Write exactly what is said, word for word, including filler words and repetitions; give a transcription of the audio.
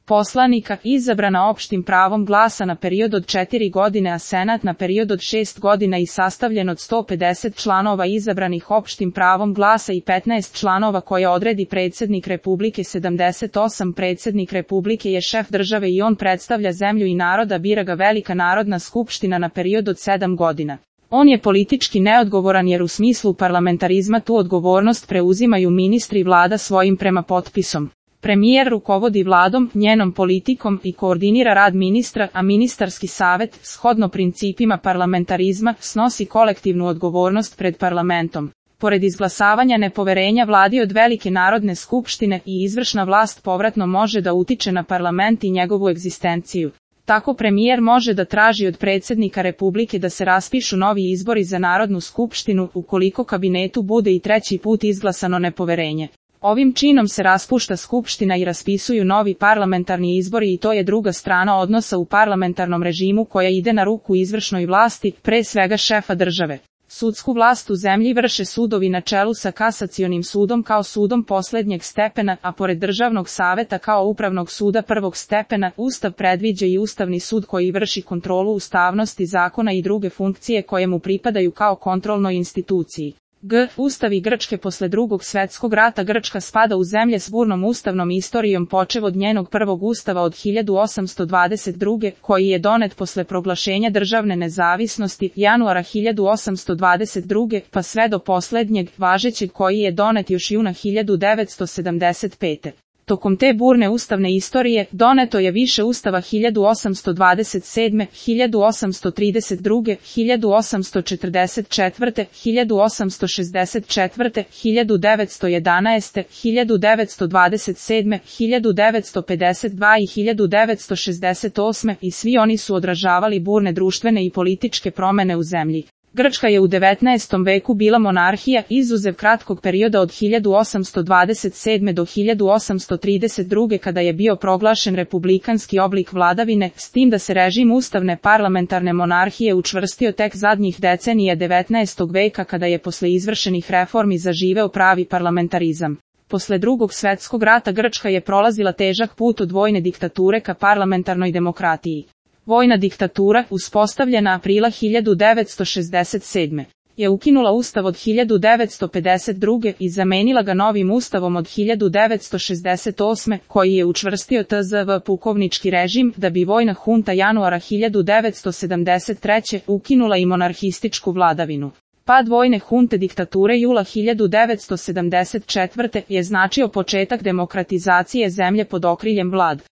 poslanika izabrana opštim pravom glasa na period od četiri godine, a Senat na period od šest godina i sastavljen od sto pedeset članova izabranih opštim pravom glasa i petnaest članova koje odredi predsjednik Republike. sedamdeset osam Predsjednik Republike je šef države i on predstavlja zemlju i naroda, bira ga Velika narodna skupština na period od sedam godina. On je politički neodgovoran jer u smislu parlamentarizma tu odgovornost preuzimaju ministri i vlada svojim prema potpisom. Premijer rukovodi vladom, njenom politikom i koordinira rad ministra, a ministarski savet, shodno principima parlamentarizma, snosi kolektivnu odgovornost pred parlamentom. Pored izglasavanja nepoverenja vladi od Velike narodne skupštine i izvršna vlast povratno može da utiče na parlament i njegovu egzistenciju. Tako premijer može da traži od predsjednika Republike da se raspišu novi izbori za Narodnu skupštinu ukoliko kabinetu bude i treći put izglasano nepoverenje. Ovim činom se raspušta skupština i raspisuju novi parlamentarni izbori i to je druga strana odnosa u parlamentarnom režimu koja ide na ruku izvršnoj vlasti, pre svega šefa države. Sudsku vlast u zemlji vrše sudovi na čelu sa kasacionim sudom kao sudom poslednjeg stepena, a pored državnog saveta kao upravnog suda prvog stepena. Ustav predviđa i Ustavni sud koji vrši kontrolu ustavnosti zakona i druge funkcije koje mu pripadaju kao kontrolnoj instituciji. G. Ustavi Grčke. Posle drugog svetskog rata Grčka spada u zemlje s burnom ustavnom istorijom počev od njenog prvog ustava od hiljadu osamsto dvadeset druge. koji je donet posle proglašenja državne nezavisnosti januara hiljadu osamsto dvadeset druge. pa sve do poslednjeg, važećeg koji je donet još juna hiljadu devetsto sedamdeset pete. Tokom te burne ustavne istorije, doneto je više ustava hiljadu osamsto dvadeset sedme, hiljadu osamsto trideset druge, hiljadu osamsto četrdeset četvrte, hiljadu osamsto šezdeset četvrte, hiljadu devetsto jedanaeste, hiljadu devetsto dvadeset sedme, hiljadu devetsto pedeset dva i hiljadu devetsto šezdeset osme i svi oni su odražavali burne društvene i političke promene u zemlji. Grčka je u devetnaestom veku bila monarhija, izuzev kratkog perioda od hiljadu osamsto dvadeset sedme do hiljadu osamsto trideset druge kada je bio proglašen republikanski oblik vladavine, s tim da se režim ustavne parlamentarne monarhije učvrstio tek zadnjih decenija devetnaestog veka kada je posle izvršenih reformi zaživeo pravi parlamentarizam. Posle drugog svetskog rata Grčka je prolazila težak put od vojne diktature ka parlamentarnoj demokratiji. Vojna diktatura, uspostavljena aprila hiljadu devetsto šezdeset sedme. je ukinula ustav od hiljadu devetsto pedeset druge. i zamenila ga novim ustavom od hiljadu devetsto šezdeset osme. koji je učvrstio T Z V pukovnički režim, da bi vojna hunta januara hiljadu devetsto sedamdeset treće. ukinula i monarhističku vladavinu. Pad vojne hunte diktature jula hiljadu devetsto sedamdeset četvrte. je značio početak demokratizacije zemlje pod okriljem vlad.